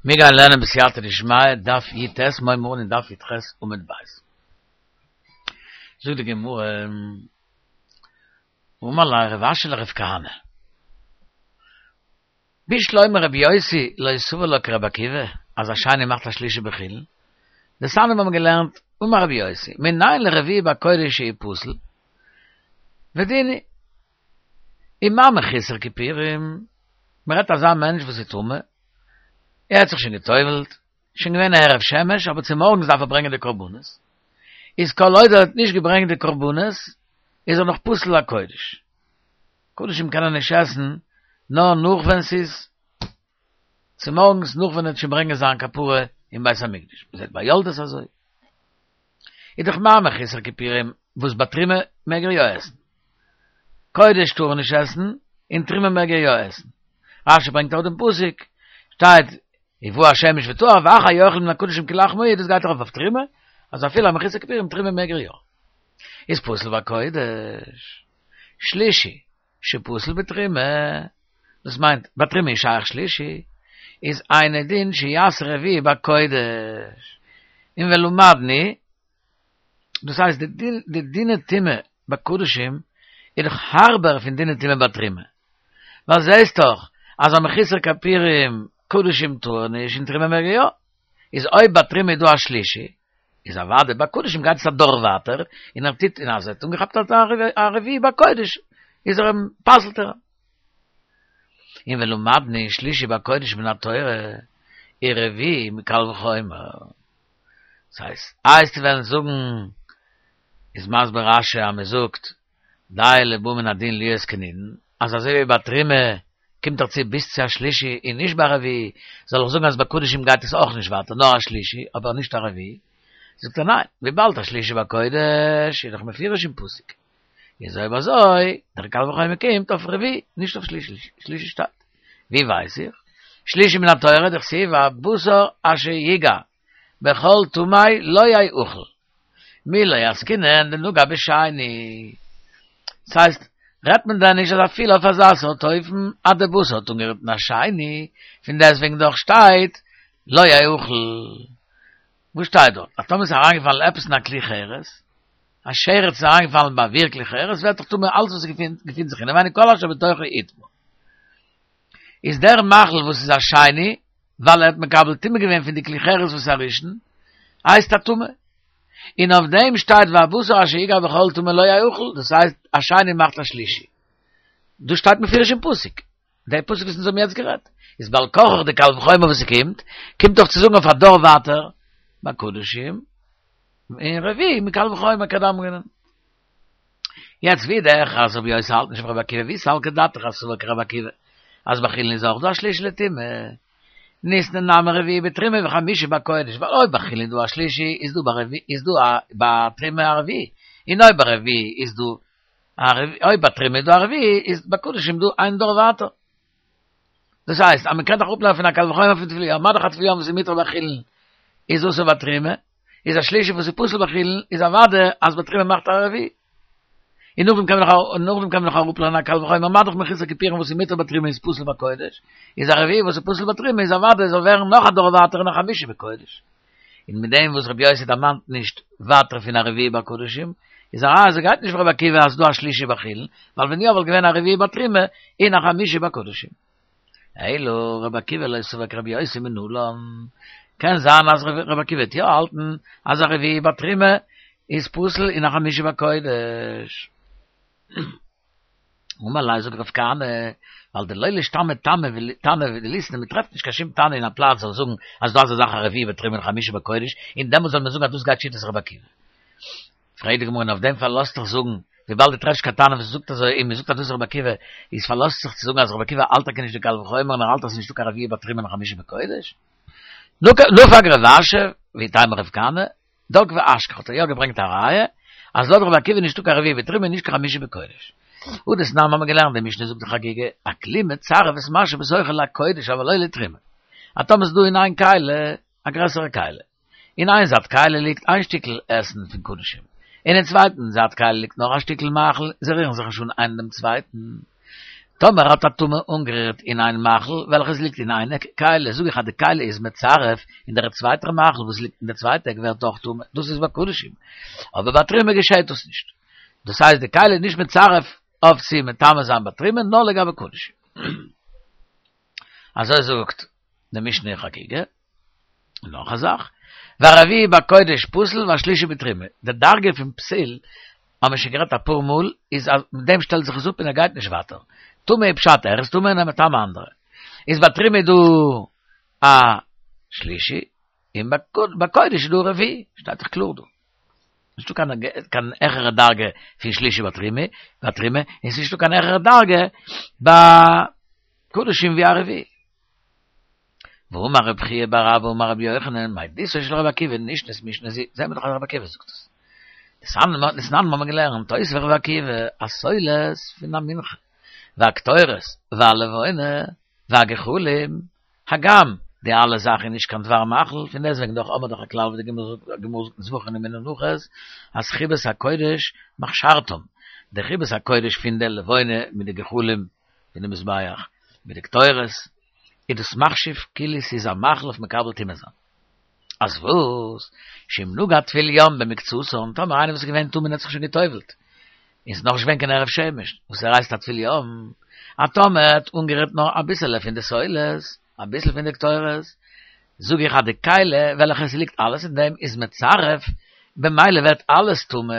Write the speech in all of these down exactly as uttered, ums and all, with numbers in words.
מיר גייען לערנען בסייעתא דשמיא דף י ט, מיר הייבן אן אין דף י ח עמוד ב'. זאגט די גמרא, אמר ליה רב אשי לרב כהנא, בשלמא רבי יוסי לא סבר לה כרבי עקיבא, אז א שני מאכט א שלישי בחולין, דתניא מיר האבן געלערנט, אמר רבי יוסי, מנין לרביעי בקודש שהוא פסול, ודין הוא, ומה מחוסר כיפורים, מען רעדט אזא מענטש וואס איז טמא, ער האט זיך שוין גע'טובל'ט, שוין געווען הערב שמש, אבער צומארגנס דארף ער ברענגען די קרבנות, איז כל עוד ער האט נישט געברענגט די קרבנות, איז ער נאך פסול לקודש. קדשים קען ער נישט עסן נאר נאך ווען ס'איז צומארגנס נאך ווען ער וועט שוין ברענגען זיין כפרה אין בית המקדש, מ'זעט ביי יולדות אזוי. איז דאך מה מחוסר כיפורים וואס ביי תרומה מעג ער יא עסן. קודש טאר ער נישט עסן, און תרומה מעג ער יא עסן. רשי ברענגט אויך דעם פסוק, שטייט ובא השמש וטהר ואחר יאכל מן הקדשים כי לחמו הוא, דאס גייט ארויף אויף תרומה, אז אפילו א מחוסר כיפורים תרומה מעג ער יא. איז פסול בקודש. שלישי, שפסול בתרומה, דאס מיינט ביי תרומה איז שייך שלישי, איז אינו דין שיעשה רביעי בקודש. און ולמדנו, דאס הייסט די דיני טומאה ביי קדשים איז דאך הארבער פון דיני טומאה ביי תרומה. ווייל זעהסט דאך אז א מחוסר כיפורים קדשים טאר ער נישט און תרומה מעג ער יא. איז אויב ביי תרומה איז דא א שלישי, איז אוודאי ביי קדשים גייט עס א דור ווייטער, און ער טוט און אז ער האט אנגעכאפט א רביעי ביי קודש איז ער אים פסל'ט ער אים. און ולמדנו שלישי בקודש מן התורה און רביעי מקל וחומר. דאס הייסט, איי וועסטו וועלן זאגן איז מסביר רשי אז מען זאגט די לבא מן הדין להיות כנידון, אז אזוי ווי ביי תרומה קומט דאך צו ביז צו א שלישי און נישט ביי רביעי, זאל איך זאגן אז ביי קדשים גייט עס אויך נישט ווייטער נאר א שלישי אבער נישט א רביעי? זאגט ער ניין, וויבאלד א שלישי בקודש איז דאך מפורש אין פסוק, איז אויב אזוי דער קל וחומר קומט אויף רביעי נישט אויף שלישי, שלישי שטייט, ווי ווייס איך? שלישי מן התורה דכתיב והבשר אשר יגע בכל טמא לא יאכל. מי לא עסקינן דנגע בשני. ס'הייסט, רעדט מען דען נישט אז אפילו אויף אזא סארט אופן אז די בשר האט אנגערירט אין א שני, פון דעסטוועגן דאך שטייט לא יאכל. וואס שטייט דארט? אז טאמער ס'איז אריינגעפאלן עפעס אין א כלי חרס, א שרץ איז אריינגעפאלן באוויר כלי חרס, ווערט דאך טמא אלץ וואס געפינט זיך אינעווייניג כל אשר בתוכו יטמא. איז דער מאכל וואס איז א שני, ווייל ער האט מקבל טומאה געווען פון די כלי חרס וואס איז א ראשון, הייסט א טמא. און אויף דעם שטייט והבשר אשר יגע בכל טמא לא יאכל, דאס הייסט א שני מאכט א שלישי. דאס שטייט מפורש אין פסוק. דער פסוק וואס אונז האבן יעצט גערעדט, איז בעל כרחך די קל וחומר וואס ס'קומט, קומט אויף צו זאגן אויף א דור ווייטער, ביי קדשים, און רביעי מקל וחומר כדאמרינן. יעצט ווידער אז רבי יוסי האלט נישט ווי רבי עקיבא ואי סלקא דעתך אז סבר כרבי עקיבא אז בחולין איז אויך דא א שלישי לטומאה ניתני נמי רביעי בתרומה וחמישי בקודש ווייל אויב בחולין איז דא א שלישי איז דא ביי איז דא א בתרומה א רביעי און אויב ביי רביעי איז דא א רביעי אויב בתרומה איז דא א רביעי איז בקדשים דא איין דור ווייטער דאס הייסט אז מען קען דאך אפלערנען פון א קל וחומר פון טבול יום מה דאך א טבול יום וואס איז מותר בחולין איז אסור בתרומה איז א שלישי וואס איז פסול בחולין איז אוודאי אז בתרומה מאכט א רביעי. און נאכדעם קען מען נאך און נאכדעם קען מען נאך אראפלערנען א קל וחומר מה דאך מחוסר כיפורים וואס איז מותר בתרומה איז פסול בקודש, איז א רביעי וואס איז פסול בתרומה איז אוודאי זאל ווערן נאך א דור ווייטער און א חמישי בקודש. און מיט דעם וואס רבי יוסי דערמאנט נישט ווייטער פון א רביעי בקדשים, איז א ראיה אז ער גייט נישט ווי רבי עקיבא אז ס'דא א שלישי בחולין, ווייל ווען יא וואלט געווען א רביעי בתרומה און א חמישי בקדשים. אלא רבי עקיבא לא סבר כרבי יוסי מנלן, קען זיין אז רבי עקיבא וועט יא האלטן אז א רביעי בתרומה איז פסול און א חמישי בקודש. אמר ליה זאגט רב כהנא, ווייל דלא לישתמיט תנא דליתני, מען טרעפט נישט קיין שום תנא אין א פלאץ זאל זאגן אז דא אזא זאך א רביעי בתרומה און חמישי בקודש, און דעמאלטס זאל מען זאגן אז דאס גייט שיטת רבי עקיבא. פרעגט די גמרא און אויף דעם פארלאזט זיך זאגן, וויבאלד דו טרעפסט קיין תנא וואס זאגט אזוי און מען זאגט אז דאס איז רבי עקיבא, איז פארלאזט זיך צו זאגן אז רבי עקיבא האלט טאקע נישט די קל וחומר און ער האלט אז עס איז נישטא קיין רביעי בתרומה און חמישי בקודש. נפק רב אשי, ואיתימא רב כהנא, דק ואשכח האט ער יא געברענגט א ראיה אז לויט רבי עקיבא איז נישטא קיין רביעי בתרומה און נישט קיין חמישי בקודש. הא דתנן האבן מיר געלערנט די משנה זאגט אין חגיגה, הכלי מצרף את מה שבתוכו לקודש אבל לא לתרומה. אז טאמער ס'איז דא אין איין כלי א גרעסערע כלי, אין איין זייט כלי ליגט איין שטיקל עסן פון קדשים, און אין צווייטן זייט כלי ליגט נאך א שטיקל מאכל, זיי רירן זיך נישט אן איינער דעם צווייטן. טאמער האט א טומאה אנגערירט אין איין מאכל וועלכעס ליגט אין איין עק כלי, זאג איך אז די כלי איז מצרף, און דער צווייטער מאכל וואס ליגט אין דער צווייטע עק ווערט אויך טמא, דאס איז ביי קדשים. אבער ביי תרומה געשעט דאס נישט. דאס הייסט די כלי איז נישט מצרף אויף צו מטמא זיין ביי תרומה נאר לגבי קדשים. אזוי זאגט די משנה אין חגיגה. און נאך א זאך, והרביעי בקודש פסול והשלישי בתרומה. די דרגה פון פסול, האבן מיר שוין גערעדט אפאר מאל, איז אז מיט דעם שטעלט זיך עס אפ און ער גייט נישט ווייטער. טמא איז פשט ער איז טמא און ער מטמא אנדערע. איז ביי תרומה איז דא א שלישי, און ביי קודש איז דא א רביעי, שטייט דאך קלאר דא. נישטא קיין קיין העכערע דרגה פון שלישי ביי תרומה, ביי תרומה, און ס'איז נישטא קיין העכערע דרגה ביי קדשים ווי א רביעי. ואמר רב חייא בר אבא אמר רבי יוחנן, מעדותו של רבי עקיבא נשנית משנה זו, זעהן מיר דאך אז רבי עקיבא זאגט עס. דתנן מיר האבן געלערנט, הוסיף רבי עקיבא, הסולת פון א מנחה, והקטורת, והלבונה, והגחלים, הגם די אלע זאכן איז נישט קיין דבר מאכל, פון דעסטוועגן דאך האבן מיר דאך א כלל ווי די גמרא זאגט אין זבחים אין מנחות, אז חיבת הקודש מכשרתם, די חיבת הקודש פון די לבונה מיט די גחלים פון די מזבח, מיט די קטורת, איז דאס מחשיב כאילו ס'איז א מאכל אויף מקבל טומאה זיין. אז וואס? שאם נגע טבול יום במקצתן, טאמער איינער וואס איז געווען טמא און האט זיך שוין גע'טובל'ט, און ס'איז נאכנישט געווען קיין הערב שמש, וואס ער הייסט א טבול יום, א טאמער ער האט אנגערירט נאר אביסעלע פון די סולת, אביסל פון די קטורת, זאג איך אז די כלי וועלכע עס ליגט אלעס אין דעם איז מצרף, במילא ווערט אלעס טמא.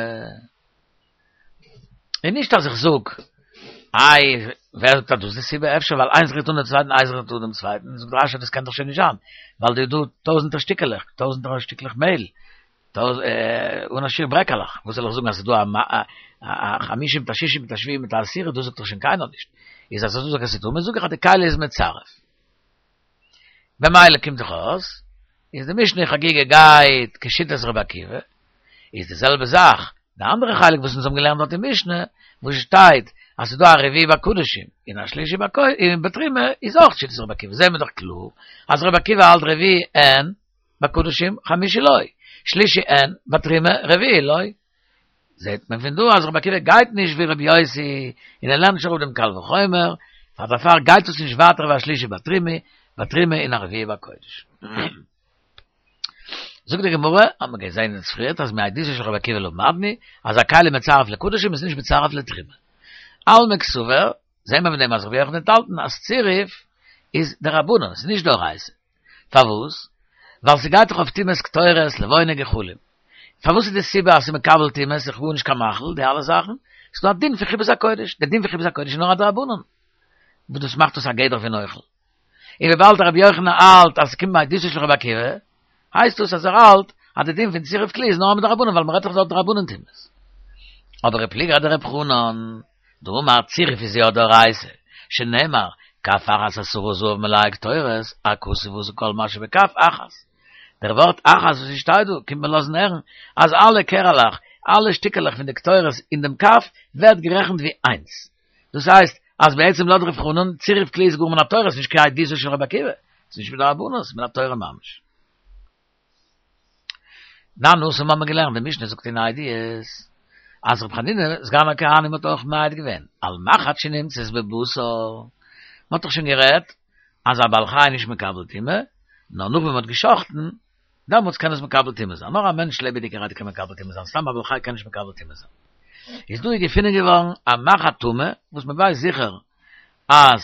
און נישט אז איך זאג, איי, ווער זאגט אז דאס איז די סיבה, אפשר ווייל איינס רירט אן דעם צווייטן, איינס רירט אן דעם צווייטן, זאגט רש"י דאס קען דאך שוין נישט זיין, ווייל דא איז דא טויזנטער שטיקעלעך, טויזנטער שטיקלעך מעהל, אן א שיעור ברעקעלעך, וואס זאל איך זאגן אז ס'איז דא א חמישי מיט א שישי מיט א שביעי מיט א עשירי, דאס זאגט דאך שוין קיינער נישט, איז אז איך זאג אז ס'איז טמא, זאג איך אז די כלי איז מצרף. במילא קומט דאך אויס, איז די משנה אין חגיגה גייט כשיטת רבי עקיבא, איז די זעלבע זאך די אנדערע חלק וואס אונז האבן געלערנט דארט אין משנה, וואס שטייט אז ס'איז דא א רביעי בקדשים און א שלישי בתרומה, איז אויך שיטת רבי עקיבא, זעהן מיר דאך קלאר אז רבי עקיבא האלט רביעי אין בקדשים חמישי לא, שלישי אין בתרומה רביעי לא. זעהט מען פון דא אז רבי עקיבא גייט נישט ווי רבי יוסי און ער לערנט נישט אראפ דעם קל וחומר, פאר דערפאר גייט עס נישט ווייטער ווי א שלישי בתרומה, בתרומה און א רביעי בקודש. זאגט די גמרא, האט מען געזען אין פריערט אז מעדותו של רבי עקיבא למדנו, אז א כלי מצרף לקדשים איז נישט מצרף לתרומה. אלמא קסבר, זעהן מיר פון דעם אז רבי יוחנן האט געהאלטן אז צירוף איז דרבנן, ס'איז נישט דאורייתא. פארוואס? ווייל ס'גייט דאך אויף טומאת קטורת, לבונה, גחלים. פארוואס איז די סיבה אז ס'איז מקבל טומאה, ס'איז גארנישט קיין מאכל, די אלע זאכן? ס'איז דא א דין פון חיבת הקודש, דער דין פון חיבת הקודש איז נאר א דרבנן, וואס דאס מאכט עס א גדר פון אוכל. און וויבאלד רבי יוחנן האלט אז ס'קומט מעדותו של רבי עקיבא, הייסט דאס אז ער האלט אז די דין פון צירוף כלי איז נאר מדרבנן ווייל מ'רעדט דאך דארט דרבנן טומאות. אבער ופליגא דרב חנן, דאמר צירוף איז יא דאורייתא, שנאמר, כף אחת עשרה זהב מלאה קטורת, הכתוב עשה כל מה שבכף אחת. דער ווארט אחת וואס עס שטייט דא קומט מיר לאזן הערן אז אלע קערעלעך, אלע שטיקעלעך פון די קטורת אין דעם כף ווערט גערעכנט ווי איינס. דאס הייסט אז בעצם לויט רב חנן, צירוף כלי איז גאר מן התורה, ס'איז נישט כעדותו של רבי עקיבא, ס'איז נישט מדרבנן, ס'איז מן התורה ממש. תנן התם האבן מיר געלערנט, די משנה זאגט אין עדיות, אז רבי חנינא סגן הכהנים האט אויך מעיד געווען, על מחט שנמצאת בבשר, מ'האט דאך שוין גערעדט אז א בעל חי איז נישט מקבל טומאה, נאר נאך ווען מ'האט גע'שחט'ן, דעמאלטס קען עס מקבל טומאה זיין, נאר א מענטש לעבעדיגערהייט קען מקבל טומאה זיין, סתם א בעל חי קען נישט מקבל טומאה זיין. איז דא געפונען געווארן א מחט טמא, וואס מ'ווייסט זיכער אז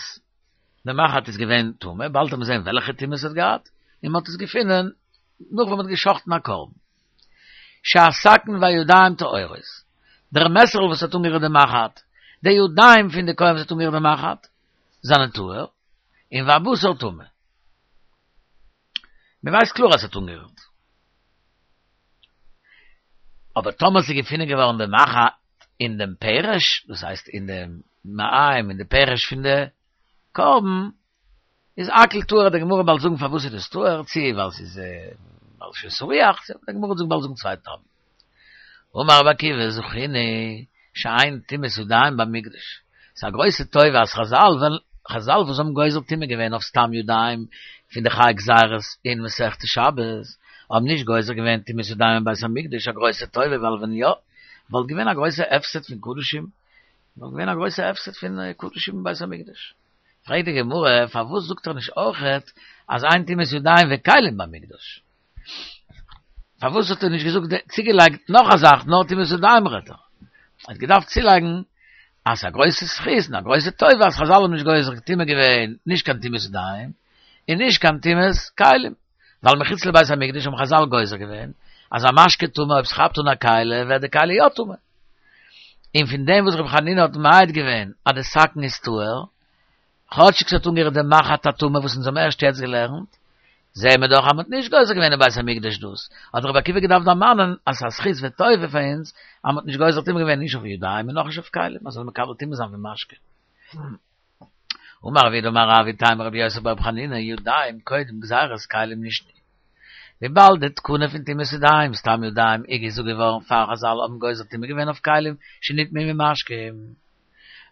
די מחט איז געווען טמא, באלד וועט מען זען וועלכע טומאה עס האט געהאט, און מ'האט עס געפונען נאך ווען מ'האט גע'שחט'ן א קרבן. שהסכין והידיים טהורות, דער מעסערל וואס האט אנגערירט די מחט, די ידיים פון די כהן וואס האט אנגערירט די מחט, זענען טהור, און והבשר טמא. מען ווייסט קלאר אז עס האט אנגערירט. אבער טאמער ס'איז געפונען געווארן די מחט אין דעם פרש, דאס הייסט אין דעם מעיים, אין די פרש פון די קרבן, איז הכל טהור, די גמרא וועט באלד זאגן פארוואס איז דאס טהור, צו ווייל ס'איז ווייל ס'איז סריח, די גמרא וועט באלד זאגן צוויי טעמים. אמר רבי עקיבא זכינו שאין טומאת ידיים במקדש, ס'איז א גרויסע טובה אז חזל ווען חזל וואס האבן גוזר טומאה געווען אויף סתם ידיים פון די חי גזירות אין מסכת שבת האבן נישט גוזר געווען טומאת ידיים אין בית המקדש, א גרויסע טובה ווייל ווען יא וואלט געווען א גרויסע הפסד פון קדשים נאר געווען א גרויסע הפסד פון קדשים אין בית המקדש. פרעגט די גמרא, פארוואס זאגט ער נישט אויכעט אז אין טומאת ידיים וכלים במקדש? פארוואס האט ער נישט געזאגט צוגעלייגט נאך א זאך, נאר טומאת ידיים רעדט ער? ער האט געדארפט צולייגן אז ס'איז א גרויסע זכות און א גרויסע טובה אז חזל האבן נישט גוזר טומאה געווען נישט קיין טומאת ידיים און נישט קיין טומאת כלים, ווייל מחוץ לבית המקדש האבן חזל גוזר געווען אז א משקה טמא אויב ס'כאפט אן א כלי ווערט די כלי יא טמא. און פון דעם וואס רבי חנינא האט מעיד געווען אז די סכין איז טהור, כאטשיג ס'האט אנגערירט די מחט הטמא וואס אונז האבן ערשט יעצט געלערנט, זעהן מיר דאך אז מ'האט נישט גוזר געווען אין בית המקדש דאס, האט רבי עקיבא געדארפט דערמאנען אז ס'איז א זכות וטובה פאר אונז אז מ'האט נישט גוזר טומאה געווען נישט אויף ידיים און נאך נישט אויף כלים אז ס'זאל מקבל טומאה זיין פון משקה. אמר רב יהודה אמר רב איתימא רבי יוסי ברבי חנינא ידיים קודם גזירת כלים נשנו. וויבאלד די תקנה פון טומאת ידיים סתם ידיים איז געזאגט געווארן פאר חזל האבן גוזר טומאה געווען אויף כלים שנטמאו ממשקין.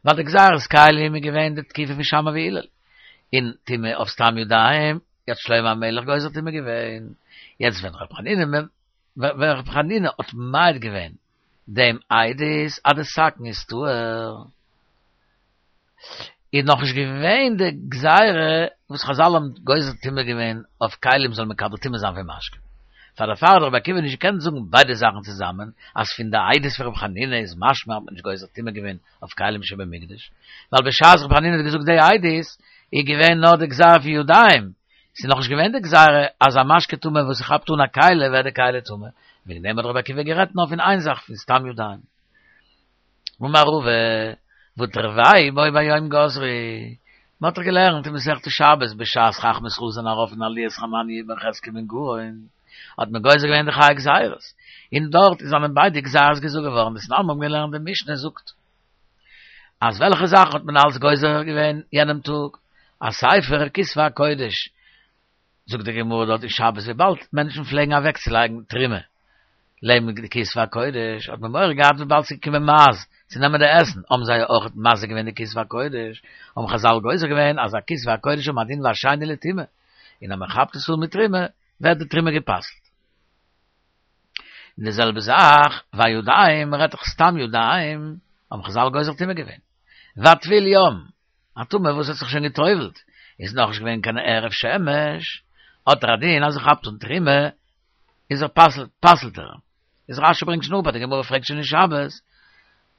ווייל די גזירת כלים איז געווען די תקופה פון שמאי והלל, און טומאה אויף סתם ידיים האט שלמה המלך גוזר טומאה געווען. יעצט ווען ר' חנינא ווען ר' חנינא האט מעיד געווען דעם עדות אז די סכין איז טהור, איז נאכנישט געווען די גזירה וואס חזל האבן גוזר טומאה געווען אויף כלים זאלן מקבל טומאה זיין פון משקה. פאר דערפאר האט רבי עקיבא נישט געקענט זאגן ביידע זאכן צוזאמען, אז פון די עדות פון רבי חנינא איז משמע אז מ'האט נישט גוזר טומאה געווען אויף כלים שבמקדש, ווייל בשעת רבי חנינא האט געזאגט די עדות איז געווען נאר די גזירה פון ידיים, ס'איז נאכנישט געווען די גזירה אז א משקה טמא וואס ס'כאפט אן א כלי ווערט די כלי טמא, וועגן דעם האט רבי עקיבא גערעדט נאר פון איין זאך פון סתם ידיים. אמר רבא, והא תרוייהו בו ביום גזרו, מען האט דאך געלערנט אין מסכת שבת בשעת חכמי ישראל זענען ארויף אין עליית חנניה בן חזקיה בן גרון, האט מען גוזר געווען די חי גזירות, און דארט זענען ביידע גזירות געזאגט געווארן, דתנן מיר האבן געלערנט די משנה זאגט אז וועלכע זאכן האט מען אלץ גוזר געווען יענעם טאג, א ספר כתבי הקודש, זאגט די גמרא דארט אין שבת וויבאלד מענטשן פלעגן אוועקצולייגן תרומה לעבן די כתבי הקודש האט מען מורא געהאט וויבאלד ס'איז געקומען מייז צו נעמען די עסן האבן זיי אויך מזיק געווען די כתבי הקודש האבן חזל גוזר געווען אז א כתבי הקודש האבן א דין ווי א שני לטומאה און אז מען כאפט עס אן מיט תרומה ווערט די תרומה גע'פסל'ט. און די זעלבע זאך והידיים מ'רעדט דאך סתם ידיים האבן חזל גוזר טומאה געווען והטבול יום א טמא וואס האט זיך שוין גע'טובל'ט, איז נאכנישט געווען קיין הערב שמש, האט ער א דין אז ער כאפט אן תרומה, איז ער פסל'ט, פסל'ט ער. איז רשי ברענגט שוין אפ אז די גמרא פרעגט שוין אין שבת,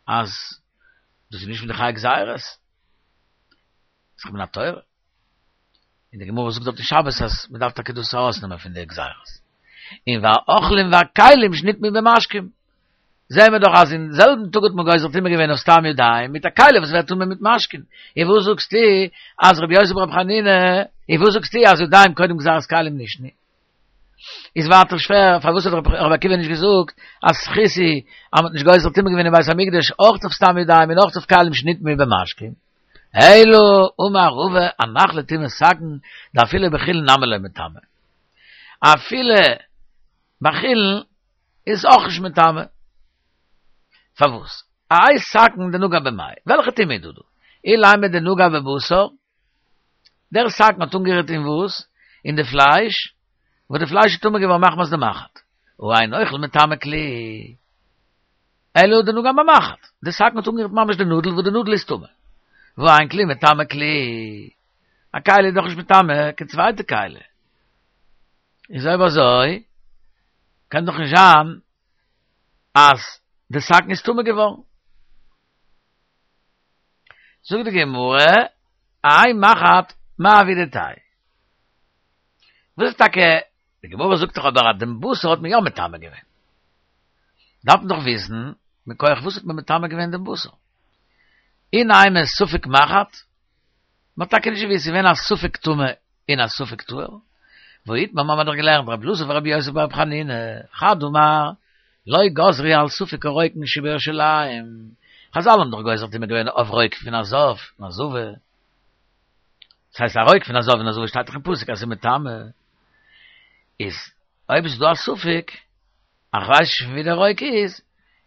אז דאס איז נישט פון די חי גזירות, איז דאך מן התורה. און די גמרא זאגט דארט אין שבת אז מען דארף טאקע דאס ארויסנעמען פון די גזירות. און והאוכלים והכלים שנטמאו במשקים. זעהן מיר דאך אז אין זעלבן טאג האט מען גוזר טומאה געווען אויף סתם ידיים מיט א כלי וואס ווערט טמא מיט משקין. און וואס זאגסטו אז רבי יוסי ברבי חנינא, און וואס זאגסטו אז ידיים קודם גזירת כלים נשנו? איז ווייטער שווער, פארוואס האט רבי עקיבא נישט געזאגט אז זכות איז אז מ'האט נישט גוזר טומאה געווען אין בית המקדש אויך אויף סתם ידיים און אויך אויף כלים שנטמאו במשקין? אלא אמר רבא הנח לטומאת סכין דאפילו בחולין נמי לא מטמא. אפילו בחולין איז אויך נישט מטמא. פארוואס? האי סכין דנגע במאי. וועלכע טומאה איז דא דא? אילימא דנגע בבשר, דער סכין האט אנגערירט אין וואס? אין די פלייש, וואס די פלייש איז טמא געווארן מחמת די מחט. הא אין אוכל מטמא כלי. אלא דנגע במחט. די סכין האט אנגערירט ממש די נאדל וואס די נאדל איז טמא. והא אין כלי מטמא כלי. א כלי איז דאך נישט מטמא קיין צווייטע כלי. איז אויב אזוי קען דאך נישט זיין אז די סכין איז טמא געווארן. זאגט די גמרא, האי מחט מאי עבידתיה. וואס איז טאקע, די גמרא זאגט דאך אבער אז דעם בשר האט מען יא מטמא געווען. דארף מען דאך וויסן מכח וואס האט מען מטמא געווען דעם בשר. אי נימא ספק מחט, מען האט טאקע נישט געוואוסט, ס'איז געווען א ספק טמא און א ספק טהור. והא איתמר מ'האט דאך געלערנט רבי אלעזר ורבי יוסי ברבי חנינא, חד אמר, לא גזרו על ספק הרוקין שבירושלים, חזל האבן דאך גוזר טומאה געווען אויף רוק פון א זב און א זבה, דאס הייסט א רוק פון א זב און א זבה שטייט דאך אין פסוק אז ס'איז מטמא, איז אויב איז דא א ספק, איך ווייס נישט פון ווי דער רוק איז,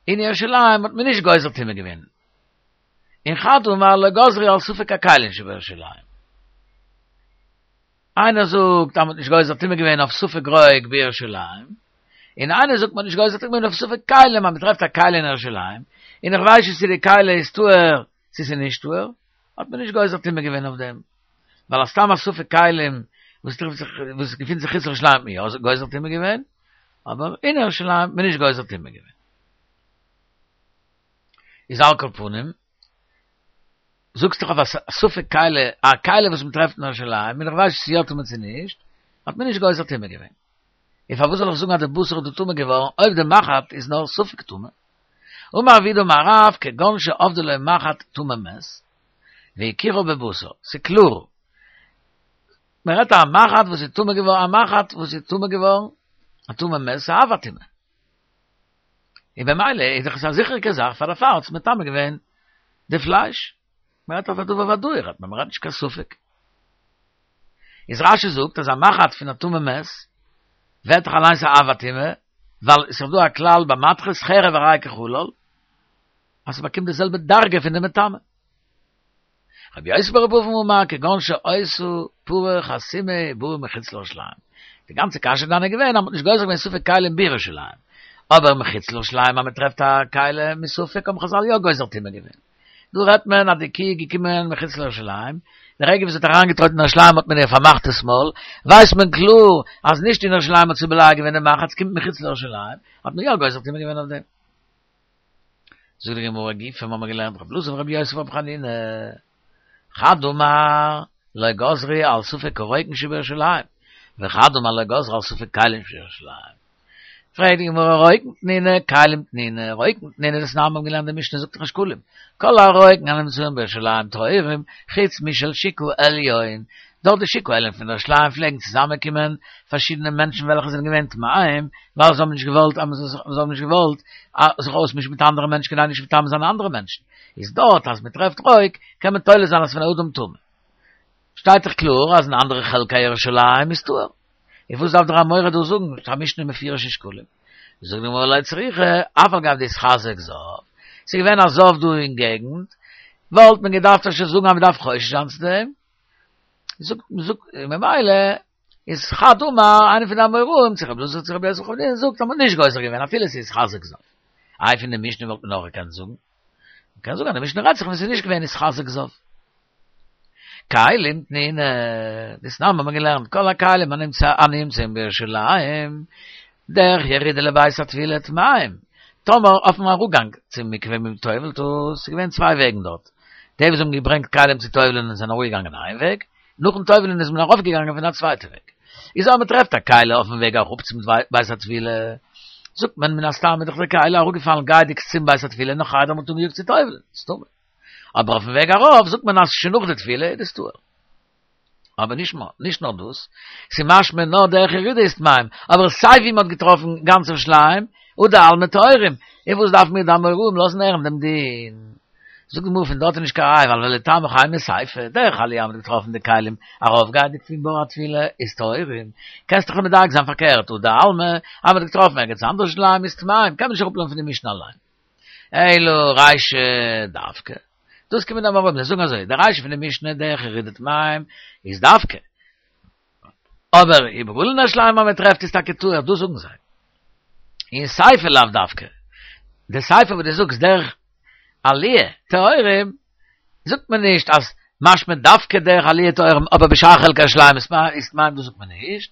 אין ירושלים האט מען נישט גוזר טומאה געווען. און חד אמר לא גזרו על ספק הכלים שבירושלים. איינער זאגט אז מ'האט נישט גוזר טומאה געווען אויף ספק רוק בירושלים, און איינער זאגט מ'האט נישט גוזר טומאה געווען אויף ספק כלים אז מ'טרעפט א כלי אין ירושלים, און איך ווייס נישט צו די כלי איז טהור צו ס'איז נישט טהור, האט מען נישט גוזר טומאה געווען אויף דעם. ווייל א סתם א ספק כלים וואס טרעפט זיך וואס געפינט זיך חוץ לירושלים האט מען יא גוזר טומאה געווען, אבער אין ירושלים האט מען נישט גוזר טומאה געווען. איז על כל פנים, זאגסט דאך אויף א ספק כלי, א כלי וואס מען טרעפט אין ירושלים, און איך ווייס נישט צו יא טמא צו נישט, האט מען נישט גוזר טומאה געווען. און פארוואס זאל איך זאגן אז די בשר איז דא טמא געווארן אויב די מחט איז נאר ספק טמא? אמר רב יהודה אמר רב כגון שאבדה לו מחט טמא מת, והכירה בבשר, ס'קלאר, מען רעדט א מחט וואס איז טמא געווארן, א מחט וואס איז טמא געווארן, א טמא מת, ס'איז אב הטומאה. און במילא איז דאך עס א זיכעריגע זאך פאר דערפאר האט עס מטמא געווען די פלייש. מען רעדט אויף א דבר ודאי רעדט מען, מען רעדט נישט קיין ספק. איז רש"י זאגט אז א מחט פון א טמא מת ווערט דאך אליינס א אב הטומאה, ווייל עס איז דא א כלל ביי מתכות חרב הרי כחלל, אז ס'באקומט די זעלבע דרגה פון די מטמא. רבי יוסי ברבי אבין אמר כגון שהיתה פרה חתומה ובאה מחוץ לירושלים. די גאנצע קשיא דאן איז געווען אז מ'האט נישט גוזר געווען ספק כלים בירושלים. אבער מחוץ לירושלים אז מ'טרעפט א כלי מספק האבן חז"ל יא גוזר טומאה געווען. דא רעדט מען אז די קי איז געקומען מחוץ לירושלים, די רגע וואס זי האט אריינגעטרויטן אין ירושלים האט מען איר פארמאכט דאס מויל, ווייסט מען קלאר אז נישט אין ירושלים האט זי בולע געווען די מחט, ס'קומט מחוץ לירושלים, האט מען יא גוזר טומאה געווען אויף דעם. זאגט די גמרא גופא האבן מיר געלערנט רבי אלעזר ברבי יוסף ברבי חנינא חד אמר לא גזרו על ספק הרוקין שבירושלים וחד אמר לא גזרו על ספק כלים שבירושלים פרעגט די גמרא רוקין תנינא כלים תנינא רוקין תנינא דתנן מיר האבן געלערנט די משנה זאגט דאך אין שקלים כל הרוקין הנמצאים בירושלים טהורים חוץ משל שוק העליון דארט די שוק העליון פון ירושלים פלעגן צוזאמען קומען פארשידענע מענטשן וועלכע זענען געווען טמאים ווייל זיי האבן נישט געוואלט אז זיי האבן נישט געוואלט זיך אויסמישן מיט אנדערע מענטשן כדי נישט מטמא זיין אנדערע מענטשן איז דארט אז מען טרעפט רוק קען מען תולה זיין אז פון אדם טמא שטייט דאך קלאר אז אין אנדערע חלקי ירושלים איז טהור און וואס דארף דער אמורא דא זאגן א משנה מפורש אין שקלים זאגט די גמרא לא צריכא אף על גב דאיתחזק זב ס'איז געווען א זב דא אין געגנט וואלט מען געדארפט אפשר זאגן אז מען דארף חושש זיין צו דעם זאגט זאגט ממילא איז חד אמר איינער פון די אמוראים צו רבי אלעזר צו רבי יוסי ברבי חנינא זאגט אז מ'האט נישט גוזר געווען אפילו ס'איז איתחזק זב. איי פון די משנה וואלט מען אויך געקענט זאגן? מ'קען זאגן אז די משנה רעדט זיך ווען ס'איז נישט געווען איתחזק זב. כלים תנינא, דתנן האבן מיר געלערנט כל הכלים הנמצאים בירושלים דרך ירידה לבית הטבילה טמאים, טאמער אויפן אראפגאנג צום מקווה ווי מ'טובל'ט עס, ס'איז געווען צוויי וועגן דארט, די וואס האבן געברענגט כלים צו טובל'ען זענען אראפגעגאנגען איין וועג, נאכן טובל'ען איז מען ארויפגעגאנגען פון א צווייטע וועג. איז אויב מ'טרעפט א כלי אויפן וועג אראפ צום בית הטבילה, זאגט מען מן הסתם איז דאך די כלי אראפגעפאלן גייענדיג צום בית הטבילה נאך איידער מ'האט אנגעיאגט צו טובל'ען, איז טמא. אבער אויפן וועג ארויף זאגט מען אז שוין נאך די טבילה איז דאס טהור. אבער נישט נאר, נישט נאר דאס, ס'איז משמע נאר דרך ירידה איז טמאים, אבער סיי ווי מ'האט געטראפן גאנץ ירושלים, הא דעלמא טהורים, און וואס דארף מיר די אמוראים לאזן הערן דעם דין? זאגט די גמרא פון דארט איז נישט קיין ראיה ווייל ולטעמיך אימא סיפא, דרך עליה מ'האט געטראפן די כלים ארויפגייענדיג פון בור הטבילה איז טהורים, קענסט דאך מדייק זיין פארקערט הא דעלמא אז מ'האט געטראפן ערגעץ אנדערש ירושלים איז טמאים, קען מען נישט אראפלערנען פון די משנה אליין. אלא רישא דווקא. דאס קומען די אמוראים זיי זאגן אזוי, די רישא פון די משנה דרך ירידה טמאים איז דווקא. אבער איבעראל אין ירושלים אז מען טרעפט איז טאקע טהור, דאס זאגן זיי. און סיפא לאו דווקא. די סיפא וואס דו זאגסט דרך עליה טהורים, זאגט מען נישט אז משמע דווקא דרך עליה טהורים אבער בשאר חלקי ירושלים איז טמאים דאס זאגט מען נישט.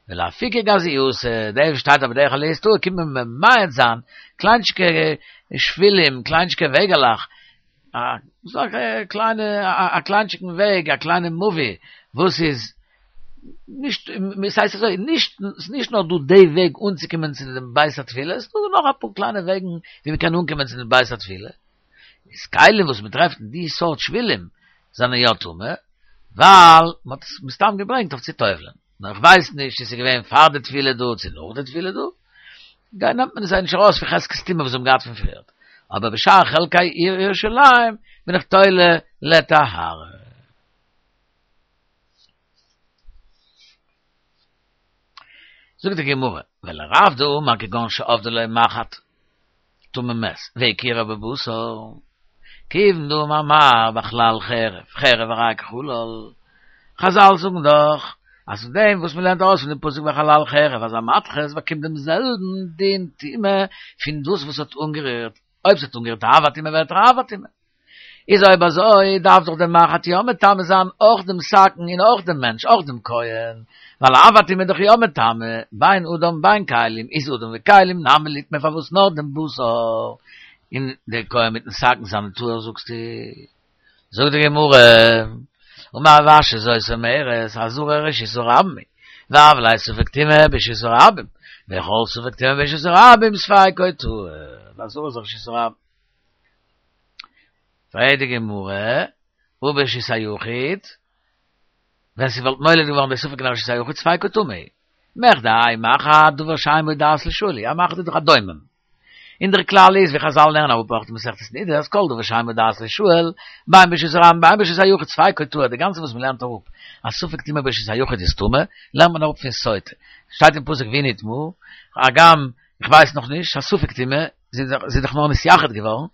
ולאפוקי גזייתא, דער וואס שטייט אבער דרך עליה איז טהור קומט מען ממעט זיין קליינטשיקע שבילים, קליינטשיקע וועגעלעך, א קליינע א קליינטשיקן וועג, א קליינע מבוי, וואס איז נישט, ס'הייסט אזוי, נישט, ס'איז נישט נאר דא די וועג אנצוקומען צו דעם בית הטבילה, ס'איז דא נאך אפאר קליינע וועגן ווי מ'קען אנקומען צו דעם בית הטבילה. איז כלים וואס מ'טרעפט אין די סארט שבילים זענען יא טמא, ווייל מ'האט עס מסתם געברענגט אויף צו טובל'ען. נאר איך ווייס נישט צו ס'איז געווען פאר די טבילה דא צו נאך די טבילה דא, גיי נעמט מען עס זיי נישט ארויס פון חזקת טומאה וואס זיי האבן געהאט פון פריערט, אבער בשאר חלקי עיר ירושלים בין איך תולה לטהרה. זאגט די גמרא, ולרב דאמר כגון שאבדה לו מחט טמא מת, והכירה בבשר, כיוון דאמר מר בחלל חרב, חרב הרי כחלל, חזל זאגן דאך אז פון דעם וואס מ'לערנט ארויס פון דעם פסוק בחלל חרב אז א מתכת באקומט דעם זעלבן דין טומאה פון דאס וואס האט אנגערירט, אויב ס'האט אנגערירט אב הטומאה ווערט ער אב הטומאה. איז אויב אזוי, דארף דאך דער מחט יא מטמא זיין אויך דעם סכין און אויך דעם מענטש, אויך דעם כהן. ווייל אב הטומאה איז דאך יא מטמא, בין אדם בין כלים, איז אדם וכלים נמי ליטמא פארוואס נאר דעם בשר? און דער כהן מיטן סכין זיינען טהור זאגסטו? זאגט די גמרא, אמר רב אשי זאת אומרת, עזרה רשות הרבים היא, והוה ליה ספק טומאה ברשות הרבים, וכל ספק טומאה ברשות הרבים ספיקו טהור, די עזרה איז רשות הרבים. פרעגט די גמרא, הא ברשות היחיד, ווען ס'וואלט נולד געווארן די ספק אין רשות היחיד ספיקו טמא, מכדי האי מחט דבר שאין בו דעת לישאל הוא, א מחט איז דאך א דומם. און דער כלל איז ווי חזל לערנען אראפ אויך אין מסכת נדה אז כל דבר שאין בו דעת לישאל, בין ברשות הרבים בין ברשות היחיד ספיקו טהור, די גאנצע וואס מ'לערנט אראפ אז ספק טומאה ברשות היחיד איז טמא, לערנט מען אראפ פון סוטה. שטייט אין פסוק והיא נטמאה, הגם איך ווייס נאך נישט, א ספק טומאה, זי איז דאך נאר נתייחד געווארן,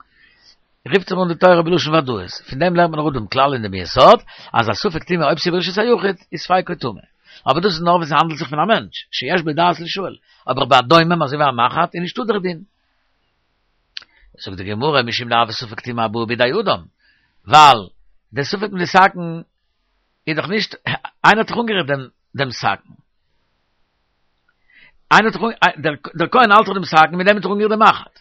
רופט זיך אן די תורה בלשון ודאות, פון דעם לערנט מען אראפ דעם כלל און דעם יסוד, אז א ספק טומאה אויב ס'איז ברשות היחיד, איז ספיקו טמא. אבער דאס איז נאר ווען ס'האנדלט זיך פון א מענטש, שיש בו דעת לישאל, אבער ביי א דומם אזוי ווי א מחט איז נישטא דער דין. זאגט די גמרא משום דהוי ספק טומאה הבאה בידי אדם, ווייל דער ספק מיט די סכין איז דאך נישט, איינער האט דאך אנגערירט דעם דעם סכין. איינער האט דאך, דער כהן האלט דאך דעם סכין, מיט דעם האט ער אנגערירט דעם מחט.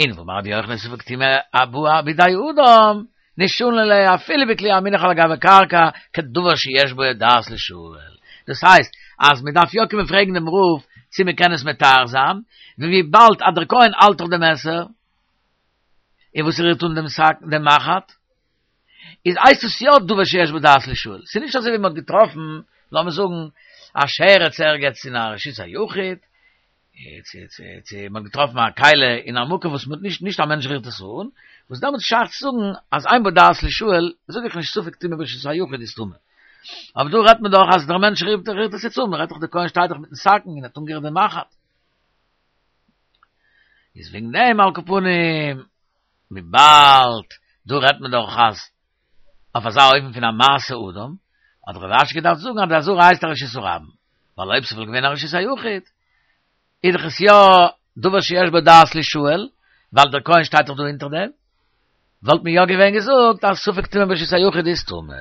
און ואמר רבי יוחנן ספק טומאה הבאה בידי אדם, נישט שני ליה אפילו בכלי המונח על גבי קרקע, כדבר שיש בו דעת לישאל. דאס הייסט, אז מען דארף יא קומען פרעגן דעם רב צו מען קען עס מטהר זיין, וויבאלד אז דער כהן האלט דאך דעם מעסער, און וואס רירט אן דעם סכין, דעם מחט, איז הייסט עס יא דבר שיש בו דעת לישאל. ס'איז נישט אזוי ווי מען האט געטראפן, לאמיר זאגן, א שרץ ערגעץ אין א רשות היחיד, צו צו צו מ'האט געטראפן א כלי אין א מקום וואס מ'האט נישט נישט א מענטש רירט עס אן, וואס דעמאלטס איז שייך צו זאגן אז אין בו דעת לישאל, זאג איך נישט ספק טומאה ברשות היחיד איז טמא. אבער דא רעדט מען דאך אז דער מענטש רירט רירט עס יעצט אן, מ'רעדט דאך דער כהן שטייט דאך מיטן סכין און האט אנגערירט דעם מחט. איז וועגן דעם על כל פנים, וויבאלד דא רעדט מען דאך אז אויף אזא אופן פון א מעשה אדם, האט רב אשי געדארפט זאגן אז די עזרה הייסט א רשות הרבים, ווייל אויב ס'וואלט געווען א רשות היחיד, איז דאך עס יא דבר שיש בו דעת לישאל, ווייל דער כהן שטייט דאך דא אונטער דעם, וואלט מען יא געווען געזאגט אז ספק טומאה ברשות היחיד איז טמא.